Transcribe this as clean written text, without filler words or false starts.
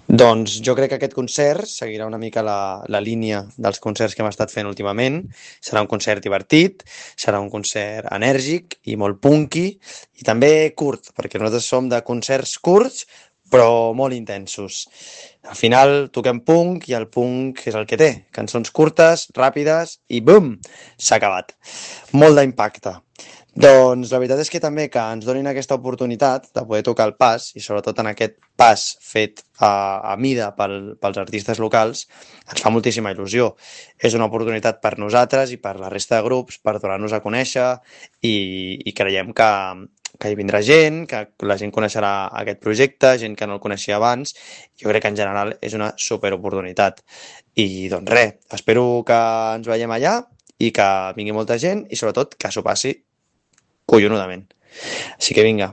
Doncs jo crec que aquest concert seguirà una mica la línia dels concerts que hem estat fent últimament. Serà un concert divertit, serà un concert enèrgic i molt punky i també curt, perquè nosaltres som de concerts curts però molt intensos. Al final toquem punk i el punk és el que té. Cançons curtes, ràpides i bum! S'ha acabat. Molt d'impacte. Doncs la veritat és que també que ens donin aquesta oportunitat de poder tocar el pas, i sobretot en aquest pas fet a mida pels artistes locals, ens fa moltíssima il·lusió. És una oportunitat per nosaltres i per la resta de grups per donar-nos a conèixer i creiem que hi vindrà gent, que la gent coneixerà aquest projecte, gent que no el coneixia abans. Jo crec que en general és una superoportunitat. I doncs res, espero que ens veiem allà i que vingui molta gent i sobretot que s'ho passi collonudament. Així que vinga,